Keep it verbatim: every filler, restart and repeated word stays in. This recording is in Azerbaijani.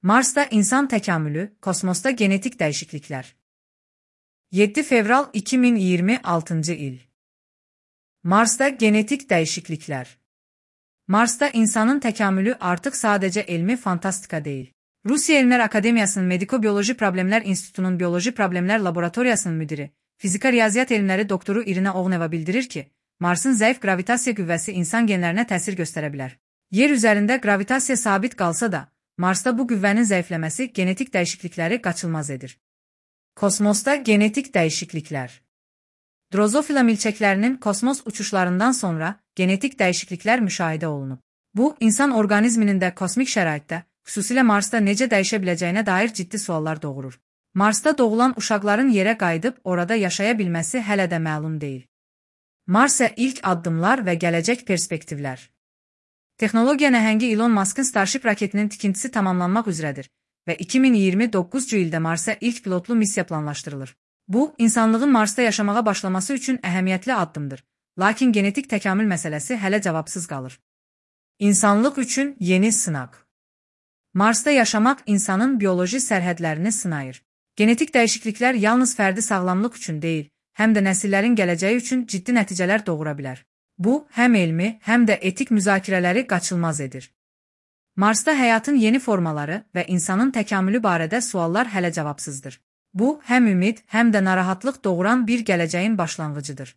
Marsda insan təkamülü, kosmosda genetik dəyişikliklər. yeddi fevral iki min iyirmi altıncı il. Marsda genetik dəyişikliklər. Marsda insanın təkamülü artıq sadəcə elmi fantastika deyil. Rusiya Elmlər Akademiyasının Mediko-Bioloji Problemlər İnstitutunun Bioloji Problemlər Laboratoriyasının müdiri, fizika riyaziyyat elmləri doktoru İrina Oğneva bildirir ki, Marsın zəif qravitasiya qüvvəsi insan genlərinə təsir göstərə bilər. Yer üzərində qravitasiya sabit qalsa da, Marsda bu qüvvənin zəifləməsi genetik dəyişiklikləri qaçılmaz edir. Kosmosda genetik dəyişikliklər. Drozofila milçəklərinin kosmos uçuşlarından sonra genetik dəyişikliklər müşahidə olunub. Bu, insan orqanizminin də kosmik şəraitdə, xüsusilə Marsda necə dəyişə biləcəyinə dair ciddi suallar doğurur. Marsda doğulan uşaqların yerə qayıdıb orada yaşaya bilməsi hələ də məlum deyil. Marsa ilk addımlar və gələcək perspektivlər. Texnologiya nəhəngi Elon Musk'ın Starship raketinin tikintisi tamamlanmaq üzrədir və iki min iyirmi doqquzuncu ildə Marsa ilk pilotlu missiya planlaşdırılır. Bu, insanlığın Marsda yaşamağa başlaması üçün əhəmiyyətli addımdır, lakin genetik təkamül məsələsi hələ cavabsız qalır. İnsanlıq üçün yeni sınaq. Marsda yaşamaq insanın bioloji sərhədlərini sınayır. Genetik dəyişikliklər yalnız fərdi sağlamlıq üçün deyil, həm də nəsillərin gələcəyi üçün ciddi nəticələr doğura bilər. Bu, həm elmi, həm də etik müzakirələri qaçılmaz edir. Marsda həyatın yeni formaları və insanın təkamülü barədə suallar hələ cavabsızdır. Bu, həm ümid, həm də narahatlıq doğuran bir gələcəyin başlanğıcıdır.